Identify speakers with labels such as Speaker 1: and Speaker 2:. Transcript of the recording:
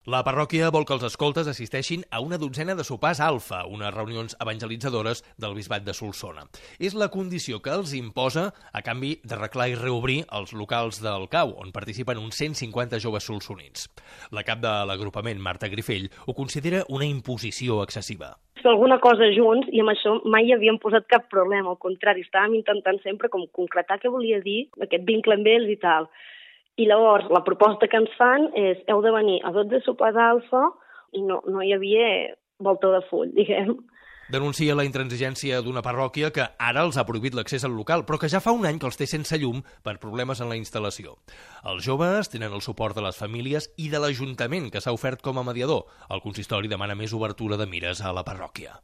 Speaker 1: La parròquia vol que els escoltes assisteixin a una dotzena de sopars alfa, unes reunions evangelitzadores del bisbat de Solsona. És la condició que els imposa a canvi d'arreglar i reobrir els locals del CAU, on participen uns 150 joves solsonins. La cap de l'agrupament, Marta Grifell, ho considera una imposició excessiva.
Speaker 2: Fer alguna cosa junts i amb això mai hi havíem posat cap problema, al contrari, estàvem intentant sempre com concretar què volia dir aquest vincle amb ells i tal. I llavors la proposta que ens fan és heu de venir a 12 sopars alfa i no hi havia volta de full, diguem.
Speaker 1: Denuncia la intransigència d'una parròquia que ara els ha prohibit l'accés al local, però que ja fa un any que els té sense llum per problemes en la instal·lació. Els joves tenen el suport de les famílies i de l'Ajuntament, que s'ha ofert com a mediador. El consistori demana més obertura de mires a la parròquia.